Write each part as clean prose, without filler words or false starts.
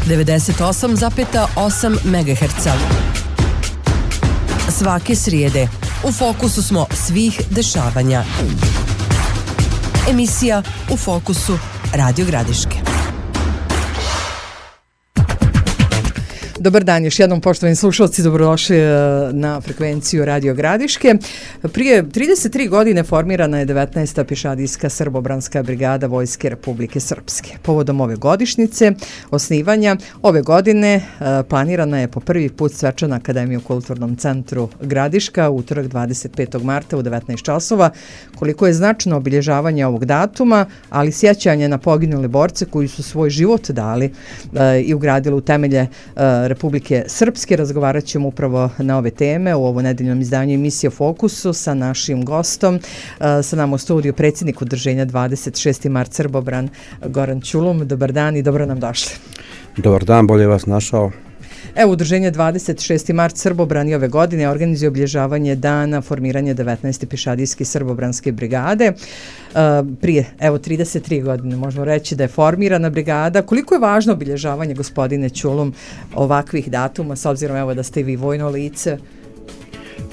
98,8 MHz. Svake srijede u fokusu smo svih dešavanja. Emisija U fokusu Radio Gradiške. Dobar dan, još jednom poštovani slušalci, dobrodošli na frekvenciju Radio Gradiške. Prije 33 godine formirana je 19. pješadijska srbobranska brigada Vojske Republike Srpske. Povodom ove godišnjice osnivanja ove godine planirana je po prvi put svečana akademija u Kulturnom centru Gradiška u utorak 25. marta u 19 časova. Koliko je značajno obilježavanje ovog datuma, ali sjećanje na poginule borce koji su svoj život dali i ugradili u temelje Republike Srpske. Razgovarat ćemo upravo na ove teme u ovo nedeljnom izdanju emisije Fokusu sa našim gostom. Sa nama u studiju predsjednik udruženja 26. mart Srbobran Goran Ćulum. Dobar dan i dobro nam došli. Dobar dan, bolje vas našao. Evo, udruženje 26. mart Srbobran i ove godine organizuje obilježavanje dana formiranja 19. pješadijske srbobranske brigade. Prije, 33 godine možemo reći da je formirana brigada. Koliko je važno obilježavanje, gospodine Ćulum, ovakvih datuma, s obzirom da ste i vi vojno lice?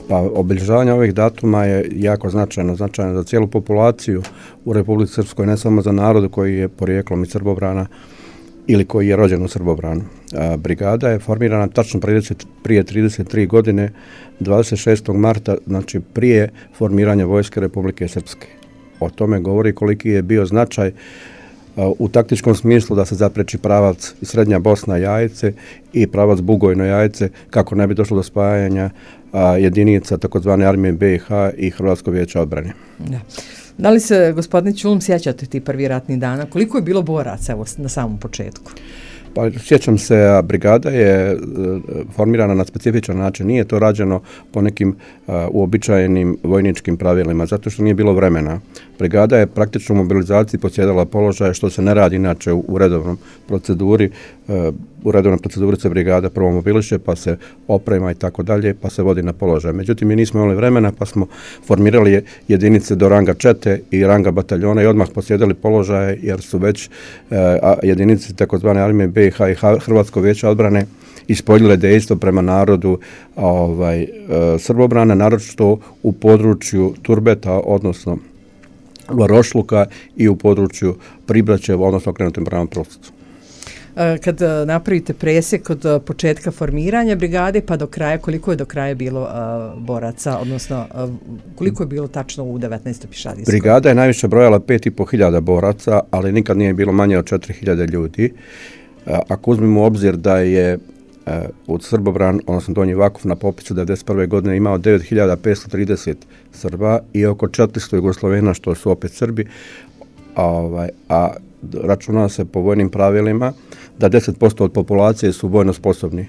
Pa, obilježavanje ovih datuma je jako značajno za cijelu populaciju u Republici Srpskoj, ne samo za narod koji je porijeklom iz Srbobrana ili koji je rođen u Srbobranu. Brigada je formirana tačno prije 33 godine, 26. marta, znači prije formiranja Vojske Republike Srpske. O tome govori koliki je bio značaj u taktičkom smislu da se zapreči pravac Srednja Bosna Jajce i pravac Bugojno Jajce kako ne bi došlo do spajanja jedinica takozvane armije BiH i Hrvatskog vijeća odbrane. Da li se, gospodine Ćulum, sjećate ti prvi ratni dana? Koliko je bilo boraca na samom početku? Pa, sjećam se, brigada je formirana na specifičan način. Nije to rađeno po nekim uobičajenim vojničkim pravilima, zato što nije bilo vremena. Brigada je praktično u mobilizaciji posjedala položaje, što se ne radi inače u redovnom proceduri. U redovnoj proceduri se brigada prvo mobiliše, pa se oprema i tako dalje, pa se vodi na položaj. Međutim, mi nismo imali vremena, pa smo formirali jedinice do ranga čete i ranga bataljona i odmah posjedali položaje, jer su već jedinice takozvane armije BiH i Hrvatskog vijeća odbrane ispoljile dejstvo prema narodu Srbobrana, naročito u području Turbeta, odnosno Varošluka, i u području Pribraćeva, odnosno okrenutim prema Prostocu. Kad napravite presjek od početka formiranja brigade pa do kraja, koliko je do kraja bilo boraca, odnosno koliko je bilo tačno u 19. pješadijskoj? Brigada je najviše brojala 5.500 boraca, ali nikad nije bilo manje od 4.000 ljudi. Ako uzmemo u obzir da je od Srbobran, odnosno Donji Vakuf, na popisu 1991. godine imao 9.530 Srba i oko 400 Jugoslovena, što su opet Srbi, a računa se po vojnim pravilima da 10% od populacije su vojno sposobni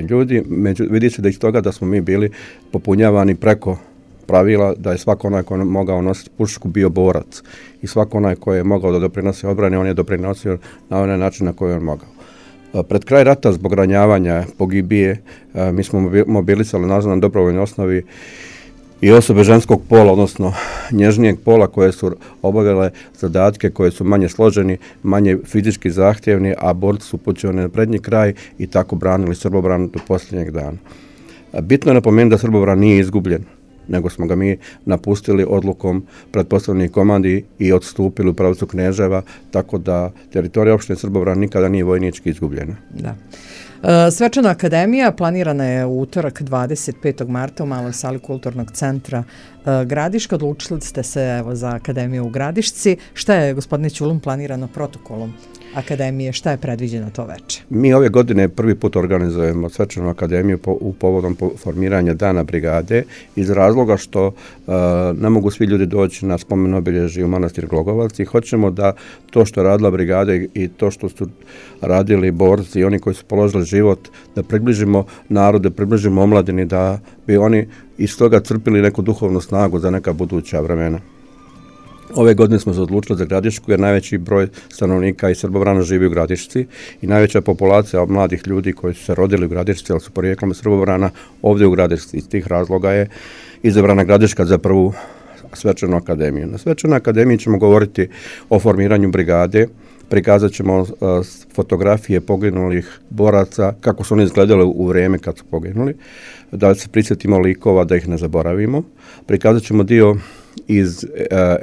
ljudi. Vidi se da iz toga da smo mi bili popunjavani preko pravila, da je svako onaj ko je mogao nositi pušku bio borac i svako onaj ko je mogao da doprinosi odbrani, on je doprinosio na onaj način na koji on mogao. Pred kraj rata, zbog ranjavanja, pogibije, mi smo mobilisali na dobrovoljnoj osnovi i osobe ženskog pola, odnosno nježnijeg pola, koje su obavljale zadatke koje su manje složeni, manje fizički zahtjevni, a borci su upućeni na prednji kraj i tako branili Srbobran do posljednjeg dana. Bitno je napomenuti da Srbobran nije izgubljen, nego smo ga mi napustili odlukom pretpostavljenih komandi i odstupili u pravcu Kneževa, tako da teritorija opštine Srbobran nikada nije vojnički izgubljena. Da. Svečana akademija planirana je u utorak 25. marta u maloj sali Kulturnog centra Gradiška. Odlučili ste se za akademiju u Gradišci. Šta je, gospodine Ćulum, planirano protokolom akademije? Šta je predviđeno to veče? Mi ove godine prvi put organizujemo svečanu akademiju u povodom formiranja dana brigade iz razloga što ne mogu svi ljudi doći na spomen obilježje u manastir Glogovac i hoćemo da to što je radila brigada i to što su radili borci i oni koji su položili život, da približimo narode, približimo omladini, da bi oni iz toga crpili neku duhovnu snagu za neka buduća vremena. Ove godine smo se odlučili za Gradišku jer najveći broj stanovnika iz Srbobrana živi u Gradišci i najveća populacija mladih ljudi koji su se rodili u Gradišci, ali su porijeklom iz Srbobrana ovdje u Gradišci. Iz tih razloga je izabrana Gradiška za prvu svečanu akademiju. Na svečanoj akademiji ćemo govoriti o formiranju brigade, prikazat ćemo fotografije poginulih boraca, kako su oni izgledali u vrijeme kad su poginuli, da se prisjetimo likova, da ih ne zaboravimo. Prikazat ćemo dio iz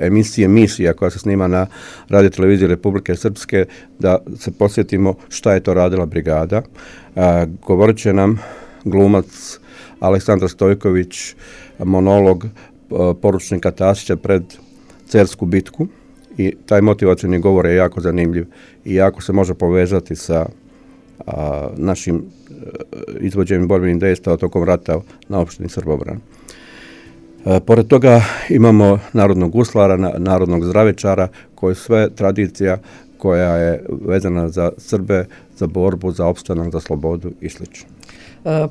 emisije Misija koja se snima na Radio televiziji Republike Srpske, da se posjetimo šta je to radila brigada. Govorit će nam glumac Aleksandar Stojković monolog poručnika Tasića pred Cersku bitku i taj motivacioni govor je jako zanimljiv i jako se može povezati sa našim izvođenjem borbenih dejstava tokom rata na opštini Srbobran. Pored toga imamo narodnog guslara, narodnog zdravičara, koji sve tradicija koja je vezana za Srbe, za borbu, za opstanak, za slobodu i sl.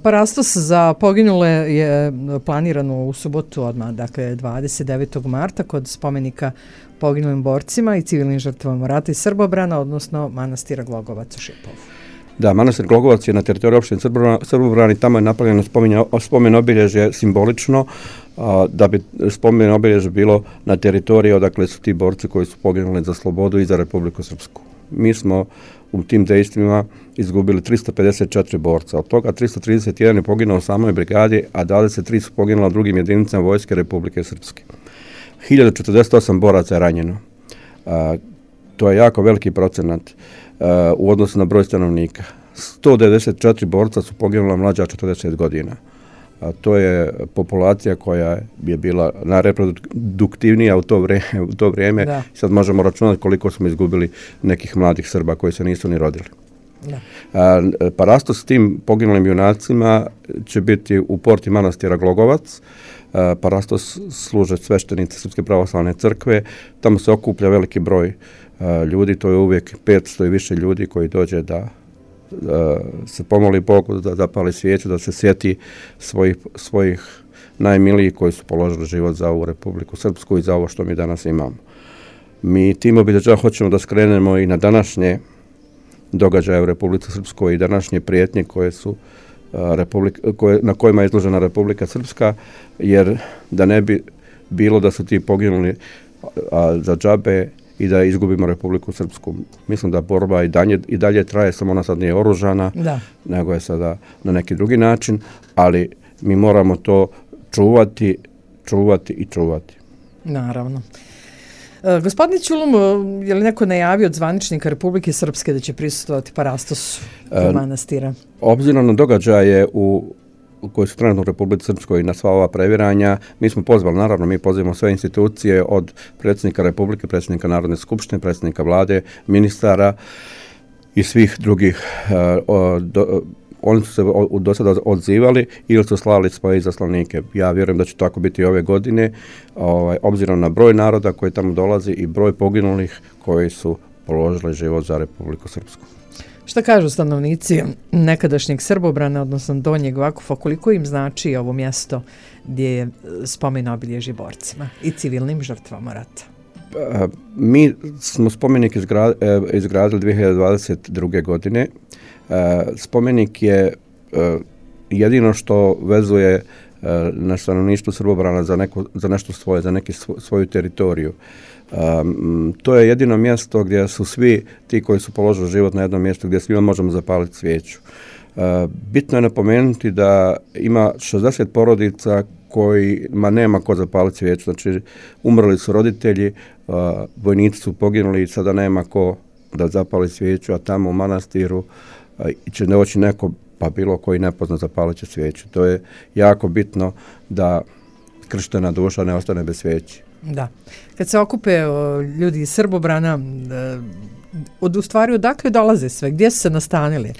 Parastos za poginule je planirano u subotu odmah, dakle 29. marta kod spomenika poginulim borcima i civilnim žrtvama rata i Srbobrana, odnosno manastira Glogovac u Šipovu. Da, manastir Glogovac je na teritoriju opštine Srbobran i tamo je napravljeno spomen obilježje simbolično, da bi spomen obilježje bilo na teritoriji odakle su ti borci koji su poginuli za slobodu i za Republiku Srpsku. Mi smo u tim dejstvima izgubili 354 borca, od toga 331 je poginuo u samoj brigadi, a 23 su poginula u drugim jedinicama Vojske Republike Srpske. 1048 boraca je ranjeno. To je jako veliki procenat u odnosu na broj stanovnika. 194 borca su poginula mlađa 40 godina. To je populacija koja je bila najreproduktivnija u to vrijeme. Da. Sad možemo računati koliko smo izgubili nekih mladih Srba koji se nisu ni rodili. Da. Parastos s tim poginulim junacima će biti u porti manastira Glogovac. Parastos služe sveštenici Srpske pravoslavne crkve. Tamo se okuplja veliki broj ljudi, to je uvijek 500 i više ljudi koji dođe da se pomoli Bogu, da zapali svijeću, da se sjeti svojih najmilijih koji su položili život za ovu Republiku Srpsku i za ovo što mi danas imamo. Mi tim obilježavam hoćemo da skrenemo i na današnje događaje u Republici Srpskoj i današnje prijetnje koje su na kojima je izložena Republika Srpska, jer da ne bi bilo da su ti poginuli za džabe i da izgubimo Republiku Srpsku. Mislim da borba i dalje traje, samo ona sad nije oružana, nego je sada na neki drugi način, ali mi moramo to čuvati i čuvati. Naravno. Gospodin Ćulum, je li neko najavio od zvaničnika Republike Srpske da će prisustvovati Parastosu u manastira? Obzirom na događaje koji su trenutno u Republici Srpskoj na sva ova previranja, mi smo pozvali, naravno, mi pozivamo sve institucije od predsjednika Republike, predsjednika Narodne skupštine, predsjednika vlade, ministara i svih drugih. Oni su se do sada odzivali ili su slali svoje izaslanike. Ja vjerujem da će tako biti ove godine, obzirom na broj naroda koji tamo dolazi i broj poginulih koji su položili život za Republiku Srpsku. Šta kažu stanovnici nekadašnjeg Srbobrana, odnosno Donjeg Vakufa, koliko im znači ovo mjesto gdje je spomen obilježje borcima i civilnim žrtvama rata? Mi smo spomenik izgradili 2022. godine. Spomenik je jedino što vezuje na stanovništvo Srbobrana za nešto svoje, za svoju teritoriju. To je jedino mjesto gdje su svi ti koji su položili život na jednom mjestu, gdje svima možemo zapaliti svijeću. Bitno je napomenuti da ima 60 porodica kojima nema ko zapaliti svijeću. Znači, umrli su roditelji, vojnici su poginuli i sada nema ko da zapali svijeću, a tamo u manastiru će doći neko, pa bilo koji nepozna, zapalit će svijeću. To je jako bitno da krštena duša ne ostane bez svijeći. Da. Kad se okupe ljudi iz Srbobrana, u stvari odakle dolaze sve? Gdje su se nastanili?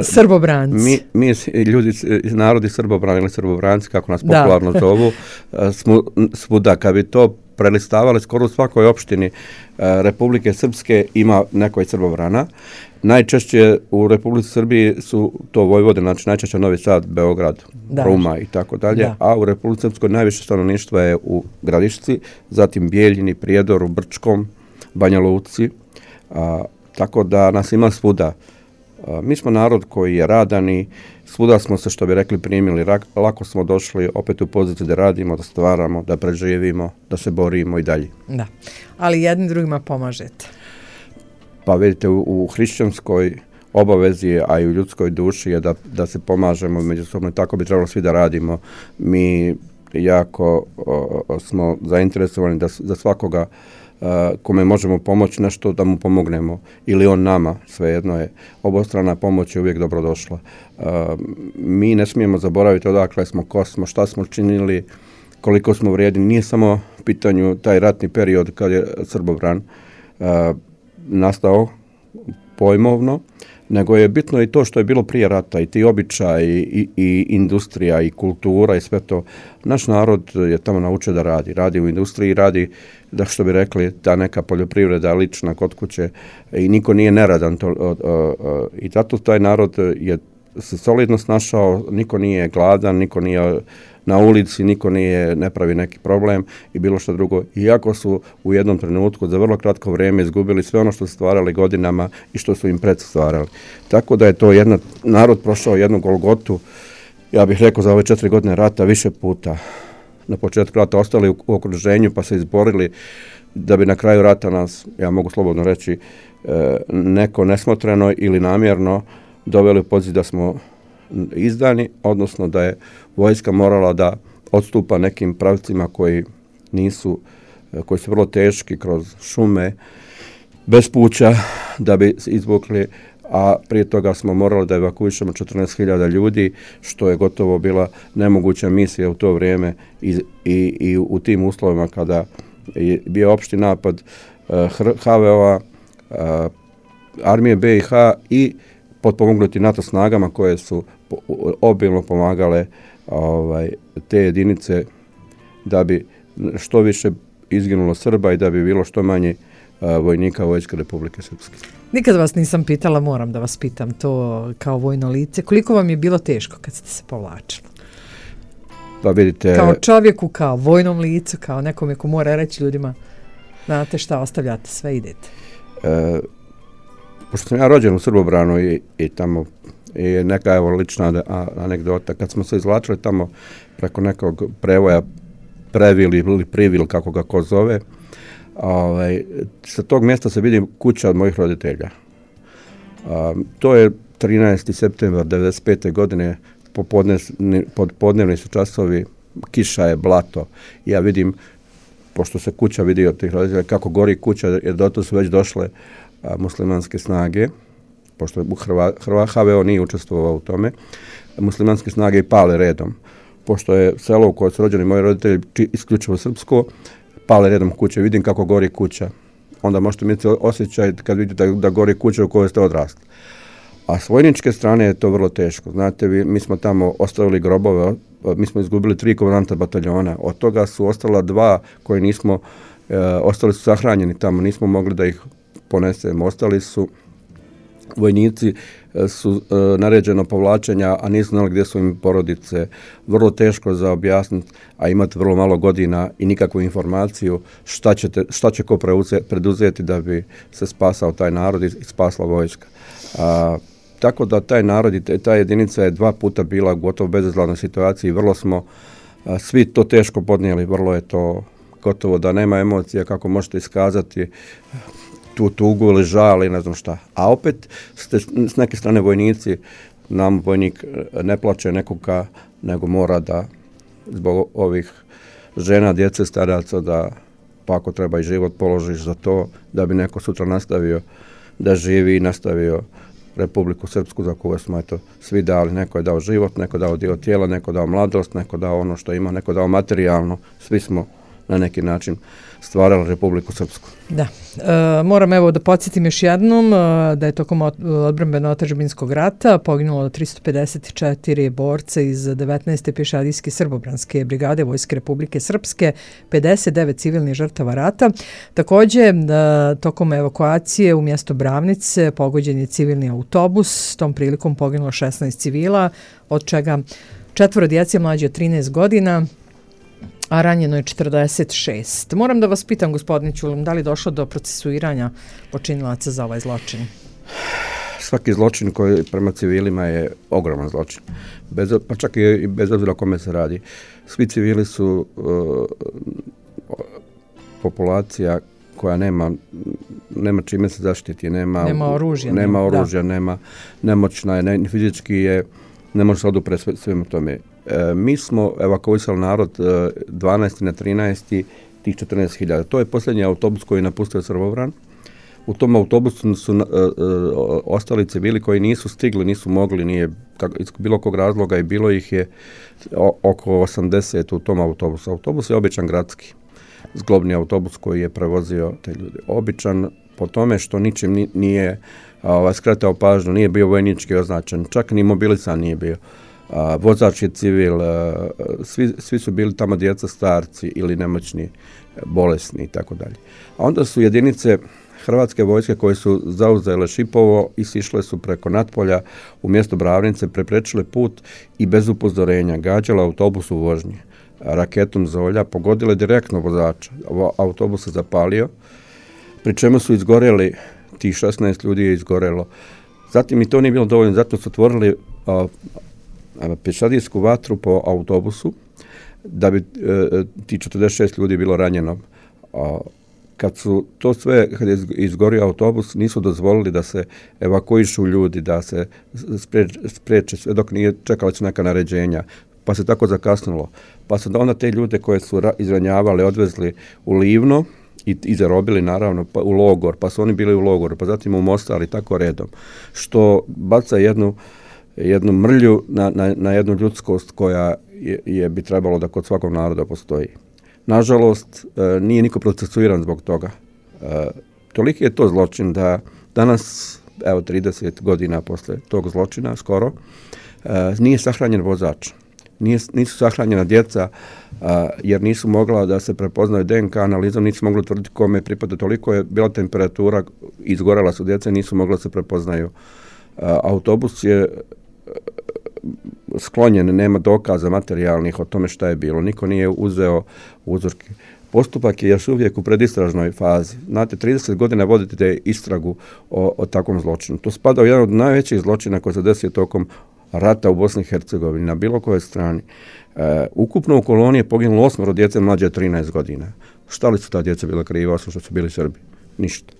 Srbobranci. Mi ljudi, narodi Srbobrana ili Srbobranci, kako nas popularno zovu, svuda. Kad bi to prelistavali, skoro u svakoj opštini Republike Srpske ima neko iz Srbobrana. Najčešće u Republici Srbiji su to Vojvodine, znači najčešće Novi Sad, Beograd, Ruma i tako dalje, a u Republici Srpskoj najviše stanovništva je u Gradišci, zatim Bijeljini, Prijedoru, Brčkom, Banja Luci, tako da nas ima svuda. Mi smo narod koji je radan i svuda smo se, što bi rekli, primili. Lako smo došli opet u poziciju da radimo, da stvaramo, da preživimo, da se borimo i dalje. Da, ali jednim drugima pomažete. Pa vidite, u hrišćanskoj obavezi, a i u ljudskoj duši je da se pomažemo međusobno, tako bi trebalo svi da radimo. Mi jako smo zainteresovani da svakoga kome možemo pomoći nešto da mu pomognemo, ili on nama, svejedno je. Obostrana pomoć je uvijek dobrodošla. Mi ne smijemo zaboraviti odakle smo, ko smo, šta smo činili, koliko smo vrijedni. Nije samo u pitanju taj ratni period kad je Srbobran nastao pojmovno, nego je bitno i to što je bilo prije rata, i ti običaji, i industrija, i kultura, i sve to. Naš narod je tamo naučio da radi u industriji, radi, da što bi rekli, ta neka poljoprivreda lična kod kuće, i niko nije neradan. I zato taj narod je se solidno snašao, niko nije gladan, niko nije na ulici, niko ne pravi neki problem i bilo što drugo. Iako su u jednom trenutku za vrlo kratko vrijeme izgubili sve ono što su stvarali godinama i što su im predsi stvarali. Tako da je to narod prošao jednu golgotu, ja bih rekao, za ove 4 godine rata više puta. Na početku rata ostali u okruženju pa se izborili da bi na kraju rata nas, ja mogu slobodno reći, neko nesmotreno ili namjerno doveli u poziciju da smo izdani, odnosno da je vojska morala da odstupa nekim pravcima koji su vrlo teški, kroz šume, bez puća, da bi se izvukli, a prije toga smo morali da evakuišemo 14.000 ljudi, što je gotovo bila nemoguća misija u to vrijeme i u tim uslovima kada je bio opšti napad HVO-a, armije BiH i potpomognuti NATO snagama koje su obilno pomagale te jedinice da bi što više izginulo Srba i da bi bilo što manje vojnika Vojske Republike Srpske. Nikad vas nisam pitala, moram da vas pitam to kao vojno lice. Koliko vam je bilo teško kad ste se povlačili? Pa vidite, kao čovjeku, kao vojnom licu, kao nekome ko mora reći ljudima, znate šta, ostavljate sve, idete. Pošto sam ja rođen u Srbobranu i tamo je neka lična anegdota, kad smo se izvlačili tamo preko nekog prevoja Previl ili Privil, kako ga ko zove, sa tog mjesta se vidi kuća od mojih roditelja. To je 13. septembar 1995. godine, podnevni su časovi, kiša je, blato. Ja vidim, pošto se kuća vidi od tih roditelja, kako gori kuća, jer do to su već došle muslimanske snage, pošto HVO nije učestvovao u tome, muslimanske snage i pale redom. Pošto je selo u kojoj su rođeni moji roditelji isključivo srpsko, pale redom kuće, vidim kako gori kuća. Onda možete imati osjećaj kad vidite da gori kuća u kojoj ste odrasli. A s vojničke strane je to vrlo teško. Znate, mi smo tamo ostavili grobove, mi smo izgubili 3 komandanta bataljona, od toga su ostala 2 koji nismo, ostali su sahranjeni tamo, nismo mogli da ih ponesemo. Ostali su vojnici, su naređeno povlačenja, a nisu znali gdje su im porodice. Vrlo teško za objasniti, a imati vrlo malo godina i nikakvu informaciju šta će ko preduzeti da bi se spasao taj narod i spasla vojska. Tako da taj narod i ta jedinica je 2 puta bila gotovo bezizlaznoj situaciji. Vrlo smo svi to teško podnijeli, vrlo je to gotovo da nema emocija kako možete iskazati tu tugu ili žal ili ne znam šta. A opet s neke strane vojnici, nam vojnik ne plaće nekoga, nego mora da zbog ovih žena, djece, staraca, da pa ako treba i život položiš za to, da bi neko sutra nastavio da živi i nastavio Republiku Srpsku za koju smo svi dali. Neko je dao život, neko je dao dio tijela, neko je dao mladost, neko je dao ono što ima, neko je dao materijalno. Svi smo na neki način stvarali Republiku Srpsku. Da. Moram evo da podsjetim još jednom da je tokom odbrambeno-otadžbinskog rata poginulo 354 borca iz 19. pješadijske srbobranske brigade Vojske Republike Srpske, 59 civilnih žrtava rata. Također, tokom evakuacije u mjesto Bravnice pogođen je civilni autobus, tom prilikom poginulo 16 civila, od čega 4 djece mlađe od 13 godina, a ranjeno je 46. Moram da vas pitam, gospodine Ćulim, da li je došlo do procesuiranja počinilaca za ovaj zločin? Svaki zločin koji prema civilima je ogroman zločin. Pa čak i bez obzira o kome se radi. Svi civili su populacija koja nema čime se zaštiti, nema oružja, nemoćna je, ni fizički je, ne može se odupreti svemu tome. Mi smo evakuisali narod 12. na 13. tih 14.000. To je posljednji autobus koji je napustio Srbobran. U tom autobusu su ostali civili koji nisu stigli, nisu mogli, nije iz bilo kog razloga i bilo ih je oko 80 u tom autobusu. Autobus je običan gradski, zglobni autobus koji je prevozio te ljude. Običan po tome što ničim nije skretao pažnju, nije bio vojnički označen, čak ni mobilisan nije bio. Vozač je civil, svi su bili tamo djeca, starci ili nemoćni, bolesni i tako dalje. A onda su jedinice Hrvatske vojske koje su zauzele Šipovo i sišle su preko Natpolja u mjesto Bravnice, preprečile put i bez upozorenja gađale autobus u vožnji. Raketom Zolja pogodile direktno vozača. Autobus se zapalio, pri čemu su izgorjeli, tih 16 ljudi je izgorjelo. Zatim i to nije bilo dovoljno, zato su otvorili pješadijsku vatru po autobusu, da bi ti 46 ljudi bilo ranjeno. Kad je izgorio autobus, nisu dozvolili da se evakuišu ljudi, da se spriječe sve dok nije čekali su neka naređenja, pa se tako zakasnilo. Pa su onda te ljude koje su izranjavali odvezli u Livno i zarobili naravno u logor, pa su oni bili u logoru, pa zatim u Mostar i tako redom, što baca jednu mrlju na jednu ljudskost koja bi trebalo da kod svakog naroda postoji. Nažalost, nije niko procesuiran zbog toga. Toliki je to zločin da danas, 30 godina posle tog zločina, skoro, nije sahranjen vozač. Nisu sahranjena djeca, jer nisu mogla da se prepoznaju DNK analizom, nisu mogli utvrditi kome pripada. Toliko je bila temperatura, izgorela su djeca, nisu mogla se prepoznaju. Autobus je sklonjen, nema dokaza materijalnih o tome šta je bilo. Niko nije uzeo uzorke. Postupak je još uvijek u predistražnoj fazi. Znate, 30 godina vodite istragu o takvom zločinu. To spada u jedan od najvećih zločina koji se desio tokom rata u Bosni i Hercegovini, na bilo kojoj strani. Ukupno u koloniji je poginulo 8 djece mlađe od 13 godina. Šta li su ta djeca bila kriva, osim što su bili Srbi? Ništa.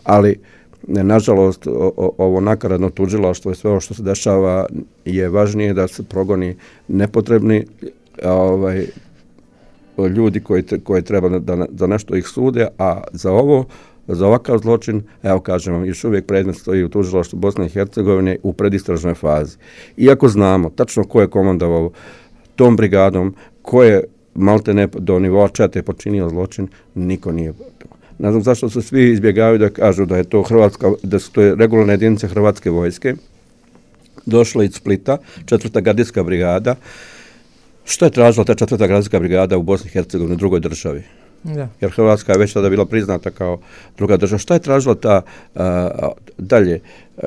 Ali nažalost, ovo nakaradno tužilaštvo i sve ovo što se dešava je važnije da se progoni nepotrebni ljudi koji treba da nešto ih sude, a za ovakav zločin, evo kažem vam, još uvijek predmet stoji u tužilaštvu Bosne i Hercegovine u predistražnoj fazi. Iako znamo tačno ko je komandovao tom brigadom, ko je maltene do nivoa čete počinio zločin, niko nije. Ne znam zašto se svi izbjegavaju da kažu da je to da su to regularne jedinice Hrvatske vojske, došla iz Splita, 4. gardijska brigada. Što je tražila ta 4. gardijska brigada u Bosni i Hercegovini, u drugoj državi? Da. Jer Hrvatska je već tada bila priznata kao druga država. Šta je tražila ta dalje?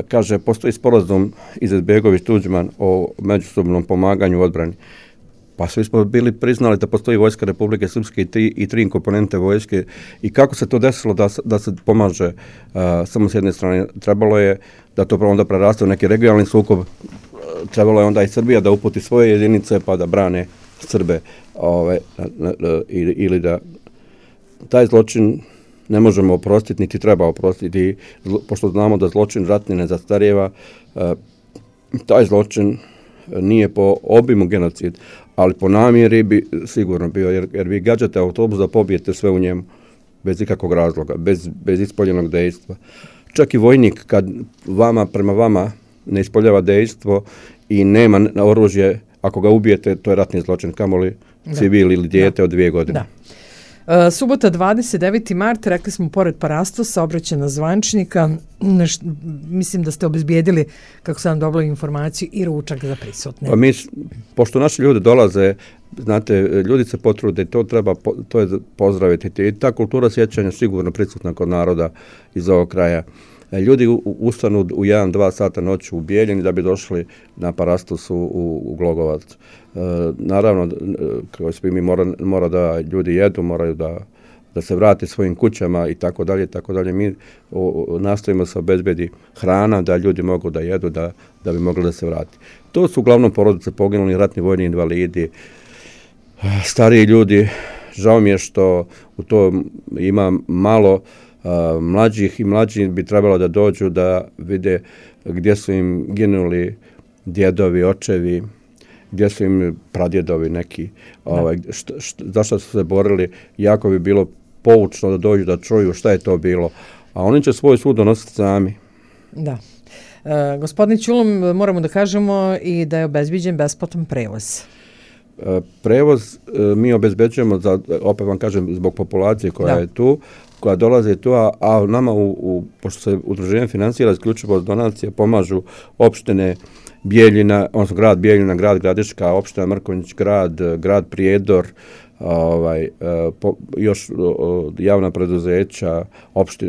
Kaže, postoji sporazum Izetbegović-Tuđman o međusobnom pomaganju u odbrani. Pa svi smo bili priznali da postoji vojska Republike Srpske i tri komponente vojske i kako se to desilo da se pomaže samo s jedne strane. Trebalo je da to onda preraste u neki regionalni sukob, trebalo je onda i Srbija da uputi svoje jedinice pa da brane Srbe ili da taj zločin ne možemo oprostiti, niti treba oprostiti, pošto znamo da zločin ratni ne zastarijeva, taj zločin nije po obimu genocid, ali po namjeri bi sigurno bio, jer vi gađate autobus da pobijete sve u njemu, bez ikakvog razloga, bez ispoljenog dejstva. Čak i vojnik, kad prema vama ne ispoljava dejstvo i nema oružje, ako ga ubijete, to je ratni zločin, kamoli civil ili dijete od 2 godine. Da. Subota 29. mart, rekli smo pored parastosa, obraćena zvančnika, mislim da ste obezbijedili, kako sam dobila informaciju, i ručak za prisutne. Pa pošto naši ljudi dolaze, znate, ljudi se potrude, to je pozdraviti. I ta kultura sjećanja sigurno prisutna kod naroda iz ovog kraja. Ljudi ustanu u 1-2 sata noću u Bijeljini da bi došli na parastos u Glogovac. Naravno, kao svi mi mora da ljudi jedu, moraju da se vrate svojim kućama i tako dalje, tako dalje. Mi nastojimo se obezbedi hrana da ljudi mogu da jedu, da bi mogli da se vrati. To su uglavnom porodice poginuli, ratni vojni invalidi, stariji ljudi, žao mi je što u to ima malo mlađih i mlađi bi trebalo da dođu da vide gdje su im ginuli djedovi, očevi, gdje su im pradjedovi neki, zašto su se borili, jako bi bilo poučno da dođu da čuju šta je to bilo, a oni će svoj sud donositi sami. Da. Gospodin Ćulum, moramo da kažemo i da je obezbiđen besplatan prevoz. Prevoz mi obezbeđujemo, opet vam kažem, zbog populacije koja je tu, koja dolaze tu, a nama, pošto se udruženje financira isključivo od donacije, pomažu opštine Bijeljina, odnosno grad Bijeljina, grad Gradiška, opština Mrkonjić, grad Prijedor, još javna preduzeća,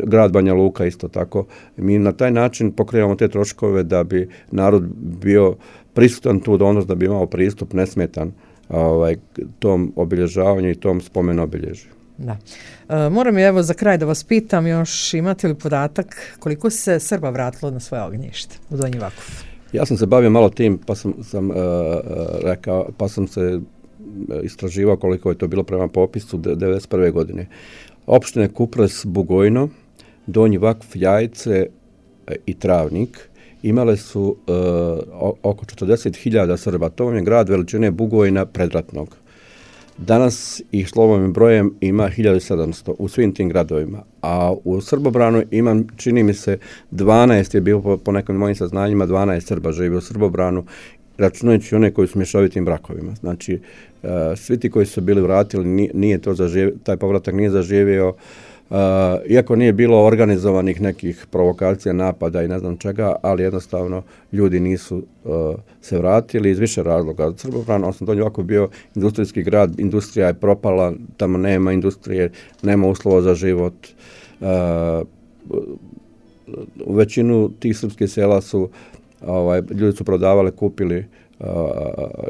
grad Banja Luka isto tako. Mi na taj način pokrijemo te troškove da bi narod bio prisutan tu donos, da bi imao pristup nesmetan tom obilježavanju i tom spomen obilježju. Da. Moram evo za kraj da vas pitam, još imate li podatak koliko se Srba vratilo na svoje ognjište u Donji Vakuf? Ja sam se bavio malo tim, pa sam se istraživao koliko je to bilo prema popisu 1991. godine. Opštine Kupres, Bugojno, Donji Vakuf, Jajce i Travnik imale su oko 40.000 Srba. To je grad veličine Bugojna predratnog. Danas ih slovom i brojem ima 1700 u svim tim gradovima, a u Srbobranu imam, čini mi se, 12 je bilo po nekim mojim saznanjima, 12 Srba živi u Srbobranu, računajući one koji su mješovitim brakovima. Znači, svi ti koji su bili vratili, nije to taj povratak nije zaživio, iako nije bilo organizovanih nekih provokacija, napada i ne znam čega, ali jednostavno ljudi nisu se vratili iz više razloga. Srbobran, odnosno Donji Vakuf bio industrijski grad, industrija je propala, tamo nema industrije, nema uslova za život. U većinu tih srpskih sela su ljudi su prodavali, kupili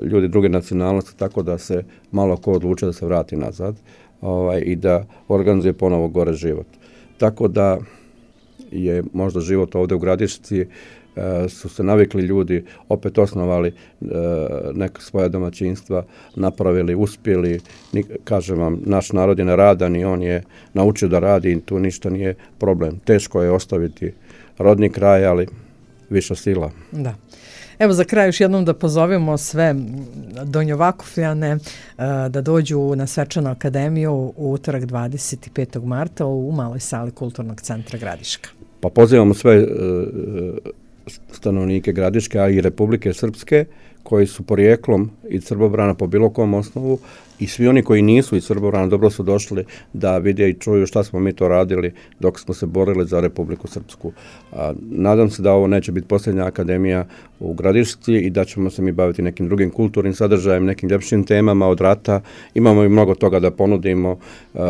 ljudi druge nacionalnosti, tako da se malo ko odluče da se vrati nazad i da organizuje ponovo gore život. Tako da je možda život ovdje u Gradišci, su se navikli ljudi, opet osnovali neka svoja domaćinstva, napravili, uspjeli. Kažem vam, naš narod je neradan i on je naučio da radi i tu ništa nije problem. Teško je ostaviti rodni kraj, ali viša sila. Da. Evo za kraj još jednom da pozovemo sve Donjovakufljane da dođu na Svečanu akademiju u utorak 25. marta u maloj sali Kulturnog centra Gradiška. Pa pozivamo sve stanovnike Gradiške, a i Republike Srpske, koji su porijeklom iz Srbobrana po bilo kom osnovu, i svi oni koji nisu iz Srbobrana dobro su došli da vide i čuju šta smo mi to radili dok smo se borili za Republiku Srpsku. Nadam se da ovo neće biti posljednja akademija u Gradišci i da ćemo se mi baviti nekim drugim kulturnim sadržajem, nekim ljepšim temama od rata. Imamo i mnogo toga da ponudimo,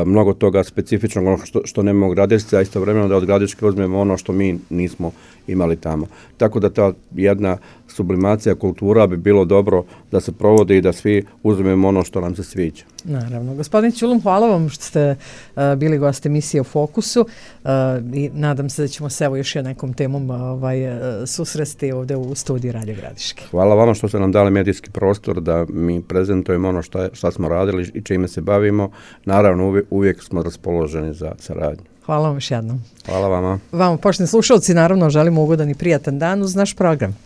mnogo toga specifičnog što nemamo u Gradišci, a istovremeno da od Gradiške uzmemo ono što mi nismo imali tamo. Tako da ta jedna sublimacija kultura bi bilo dobro da se provodi i da svi uzmemo ono što nam se sviđa. Naravno. Gospodin Ćulum, hvala vam što ste bili gost emisije u Fokusu i nadam se da ćemo se evo još nekom temom susresti ovdje u studiju Radio Gradiške. Hvala vama što ste nam dali medijski prostor da mi prezentujemo ono šta smo radili i čime se bavimo. Naravno, uvijek smo raspoloženi za saradnju. Hvala vam još jednom. Hvala vama. Vama, poštovani slušalci, naravno želimo ugodan i prijatan dan uz naš program.